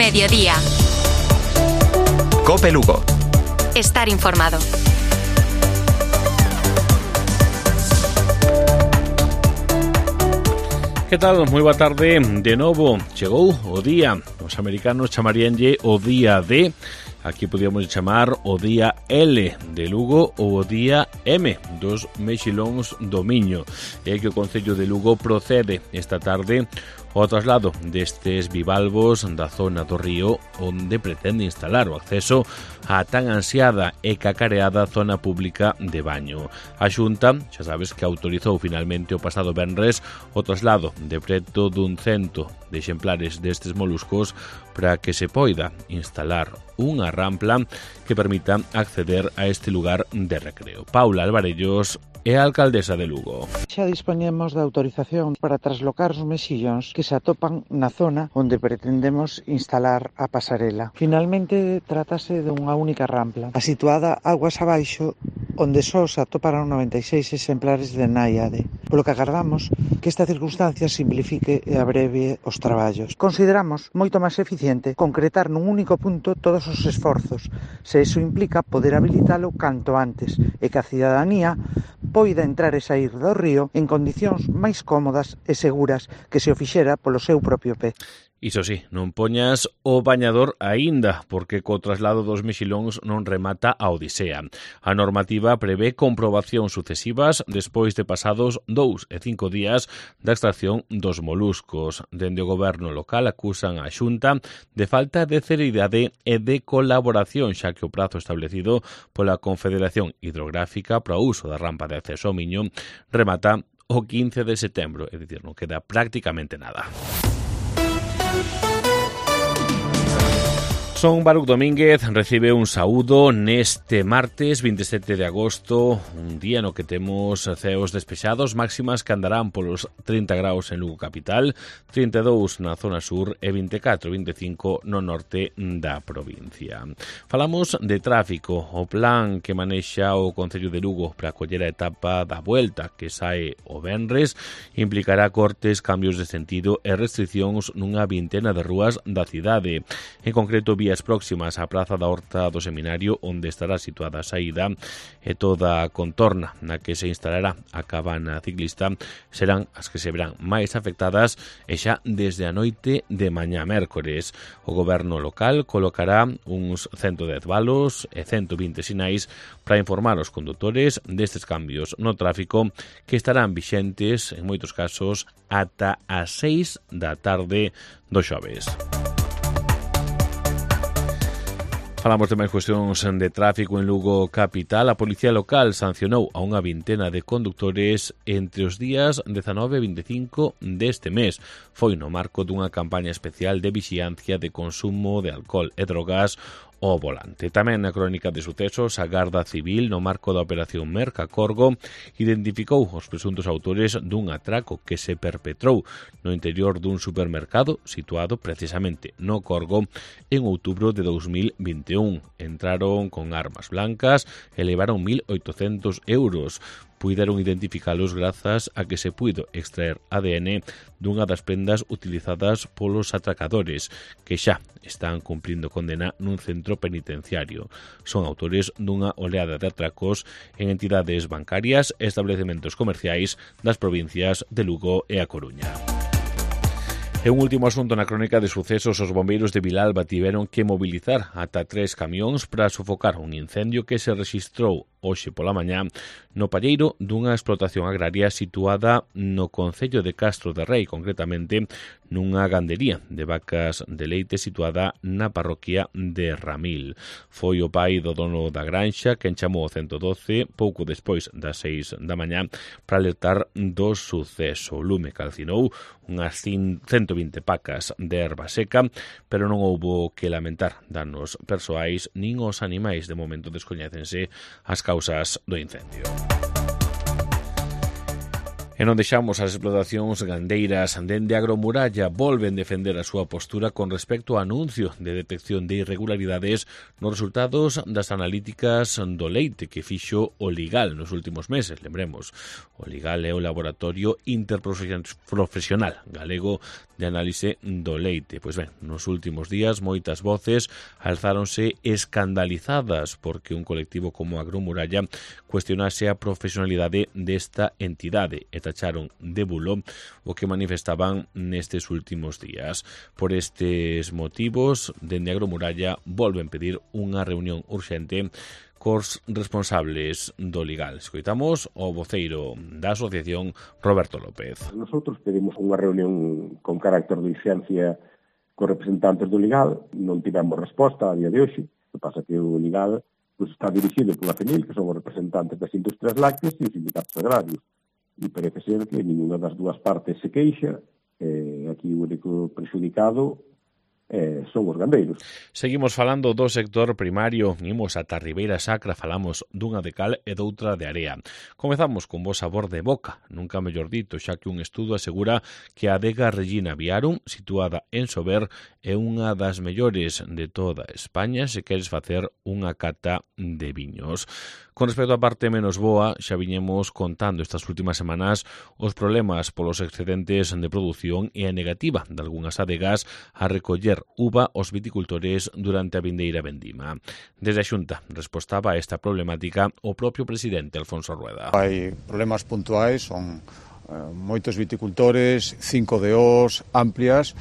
Mediodía. COPE Lugo. Estar informado. Que tal? Moi boa tarde. De novo, chegou o día. Os americanos chamaríanlle o día D. Aquí podíamos chamar o día L de Lugo ou o día M dos mexilóns do Miño. É que o Concello de Lugo procede esta tarde ao traslado destes bivalvos da zona do río onde pretende instalar o acceso á tan ansiada e cacareada zona pública de baño. A Xunta, xa sabes que autorizou finalmente o pasado venres o traslado de preto dun 100 de exemplares destes moluscos para que se poida instalar unha rampla que permita acceder a este lugar de recreo. Paula Alvarellos é a alcaldesa de Lugo. Xa dispoñemos da autorización para traslocar os mexillóns que se atopan na zona onde pretendemos instalar a pasarela. Finalmente, trátase dunha única rampla, situada aguas abaixo, onde só se atoparán 96 exemplares de náiade, polo que agardamos que esta circunstancia simplifique e abrevie os traballos. Consideramos moito máis eficiente concretar nun único punto todos os esforzos, se iso implica poder habilitalo canto antes e que a cidadanía poida entrar e sair do río en condicións máis cómodas e seguras que se o fixera polo seu propio pé. Iso sí, non poñas o bañador aínda, porque co traslado dos mexilóns non remata a odisea. A normativa prevé comprobacións sucesivas despois de pasados 2 e 5 días da extracción dos moluscos. Dende o goberno local acusan a Xunta de falta de celeridade e de colaboración, xa que o prazo establecido pola Confederación Hidrográfica para o uso da rampa de acceso ao Miño remata o 15 de setembro, é dicir, non queda prácticamente nada. Son Baruch Domínguez recibe un saúdo neste martes 27 de agosto, un día no que temos ceos despexados, máximas que andarán polos 30 graus en Lugo capital, 32 na zona sur e 24-25 no norte da provincia. Falamos de tráfico. O plan que manexa o Concello de Lugo para acoller a etapa da Vuelta que sae o venres implicará cortes, cambios de sentido e restriccións nunha vintena de rúas da cidade. En concreto, vías próximas á Praza da Horta do Seminario, onde estará situada a saída, e toda a contorna na que se instalará a cabana ciclista serán as que se verán máis afectadas e xa desde a noite de mañá mércores. O goberno local colocará uns 110 valos e 120 sinais para informar os condutores destes cambios no tráfico que estarán vixentes, en moitos casos, ata as 6 da tarde do xoves. Falamos de máis cuestións de tráfico en Lugo capital. A Policía Local sancionou a unha vintena de condutores entre os días 19 e 25 deste mes. Foi no marco dunha campaña especial de vixiancia de consumo de alcohol e drogas ao volante. Tamén na crónica de sucesos, a Garda Civil, no marco da Operación Mercacorgo, identificou os presuntos autores dun atraco que se perpetrou no interior dun supermercado situado precisamente no Corgo en outubro de 2021. Entraron con armas blancas e levaron 1.800 euros. Puideron identificalos grazas a que se puido extraer ADN dunha das prendas utilizadas polos atracadores, que xa están cumprindo condena nun centro penitenciario. Son autores dunha oleada de atracos en entidades bancarias e establecementos comerciais das provincias de Lugo e A Coruña. E un último asunto na crónica de sucesos, os bombeiros de Vilalba tiveron que mobilizar ata 3 camións para sofocar un incendio que se rexistrou hoxe pola mañá no palleiro dunha explotación agraria situada no concello de Castro de Rei, concretamente nunha gandería de vacas de leite situada na parroquia de Ramil. Foi o pai do dono da granxa quen chamou o 112 pouco despois das 6 da mañá para alertar do suceso. O lume calcinou unhas 120 pacas de erva seca, pero non houbo que lamentar danos persoais nin os animais. De momento descoñécense as causas do incendio. E non deixamos as explotacións gandeiras. Dende Agromuralla volven defender a súa postura con respecto ao anuncio de detección de irregularidades nos resultados das analíticas do leite que fixo o Ligal nos últimos meses. Lembremos, o Ligal é o Laboratorio Interprofesional Galego de Análise do Leite. Pois ben, nos últimos días moitas voces alzáronse escandalizadas porque un colectivo como Agromuralla cuestionase a profesionalidade desta entidade e tacharon de bulo o que manifestaban nestes últimos días. Por estes motivos, dende Agromuralla volven pedir unha reunión urxente cos responsables do Ligal. Escoitamos o voceiro da asociación, Roberto López. Nosotros pedimos unha reunión con carácter de urxencia cos representantes do Ligal. Non tivemos resposta a día de hoxe. O que pasa que o Ligal está dirixido pola FENIL, que son os representantes das industrias lácteas e os sindicatos agrarios. E parece ser que ninguna das dúas partes se queixa. Aquí o único prexudicado son os gandeiros. Seguimos falando do sector primario. Imos ata Ribeira Sacra, falamos dunha de cal e doutra de area. Comezamos con bo sabor de boca, nunca mellor dito, xa que un estudo asegura que a adega Regina Viarum, situada en Sober, é unha das mellores de toda España se queres facer unha cata de viños. Con respecto á parte menos boa, xa viñemos contando estas últimas semanas os problemas polos excedentes de produción e a negativa de algunhas adegas a recoller uva aos viticultores durante a vindeira vendima. Desde a Xunta respostaba a esta problemática o propio presidente Alfonso Rueda. Hai problemas puntuais, son moitos viticultores, 5 DOs amplias,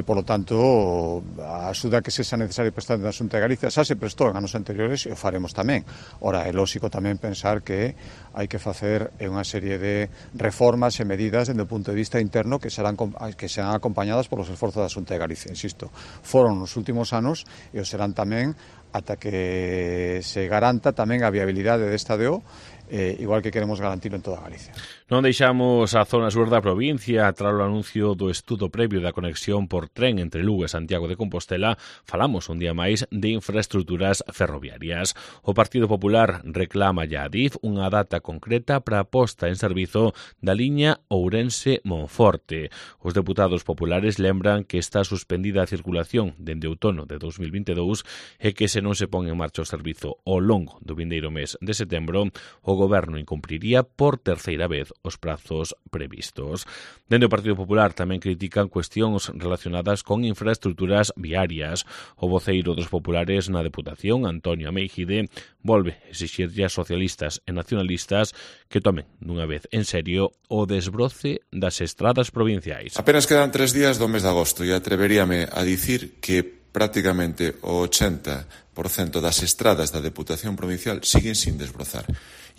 polo tanto, a axuda que sexa necesaria prestar na Xunta de Galicia xa se prestou en anos anteriores e o faremos tamén. Ora, é lógico tamén pensar que hai que facer unha serie de reformas e medidas dende o punto de vista interno que serán acompañadas polos esforzos da Xunta de Galicia. Insisto, foron nos últimos anos e o serán tamén ata que se garanta tamén a viabilidade desta DO, igual que queremos garantirlo en toda Galicia. Non deixamos a zona sur da provincia. Tras o anuncio do estudo previo da conexión por tren entre Lugo e Santiago de Compostela, falamos un día máis de infraestructuras ferroviarias. O Partido Popular reclama a Adif unha data concreta para a posta en servizo da liña Ourense-Monforte. Os deputados populares lembran que está suspendida a circulación dende outono de 2022 e que se non se pon en marcha o servizo ao longo do vindeiro mes de setembro, o Goberno incumpriría por terceira vez os prazos previstos. Dende o Partido Popular tamén critican cuestións relacionadas con infraestructuras viarias. O voceiro dos populares na Deputación, Antonio Ameijide, volve exixirlle a socialistas e nacionalistas que tomen dunha vez en serio o desbroce das estradas provinciais. Apenas quedan 3 días do mes de agosto e atreveríame a dicir que prácticamente o 80% das estradas da Deputación Provincial siguen sin desbrozar.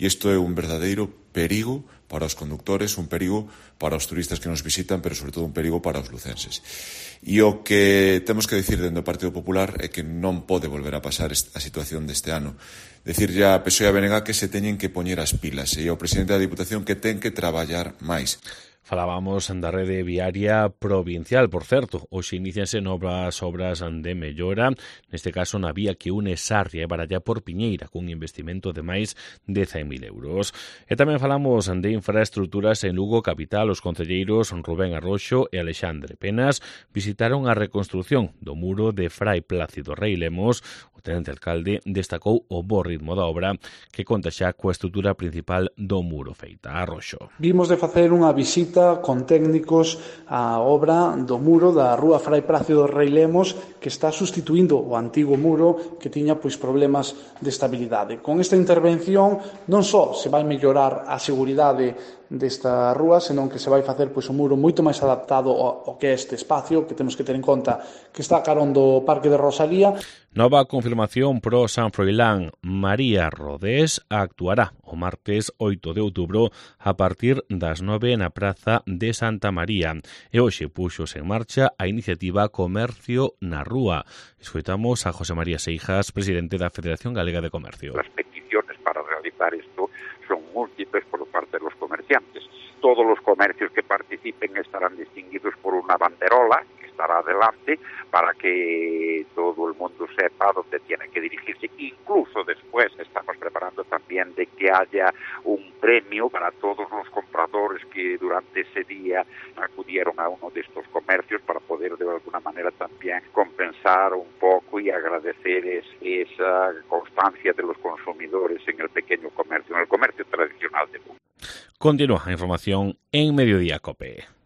E isto é un verdadeiro perigo para os conductores, un perigo para os turistas que nos visitan, pero sobre todo un perigo para os lucenses. E o que temos que dicir dentro do Partido Popular é que non pode volver a pasar a situación deste ano. Decir ya a PSOE e a BNG que se teñen que poñer as pilas e ao presidente da Diputación que ten que traballar máis. Falábamos da rede viaria provincial, por certo. Hoxe inicianse novas obras de mellora, neste caso na vía que une Sarria e Baralla por Piñeira, cun investimento de máis de 100.000 euros. E tamén falamos de infraestructuras en Lugo capital. Os concelleiros Rubén Arroxo e Alexandre Penas visitaron a reconstrución do muro de Frai Plácido Rei Lemos. O tenente alcalde destacou o bo ritmo da obra que conta xa coa estrutura principal do muro feita. Arroxo. Vimos de facer unha visita con técnicos a obra do muro da rúa Frai Plácido Rei Lemos, que está sustituindo o antigo muro que tiña problemas de estabilidade. Con esta intervención non só se vai mellorar a seguridade desta rúa, senón que se vai facer un muro moito máis adaptado ao que é este espacio, que temos que ter en conta que está carón do Parque de Rosalía. Nova confirmación pro San Froilán. María Rodés actuará o martes 8 de outubro a partir das 9 na Praza de Santa María. E hoxe puxos en marcha a iniciativa Comercio na Rúa. Escoitamos a José María Seijas, presidente da Federación Galega de Comercio. Las peticiones para realizar esto son múltiples por parte de los comerciantes. Todos los comercios que participen estarán distinguidos por una banderola que está estará adelante para que todo el mundo sepa dónde tiene que dirigirse. Incluso después estamos preparando también de que haya un premio para todos los compradores que durante ese día acudieron a uno de estos comercios para poder de alguna manera también compensar un poco y agradecer esa constancia de los consumidores en el pequeño comercio, en el comercio tradicional de Lugo. Continúa la información en Mediodía COPE.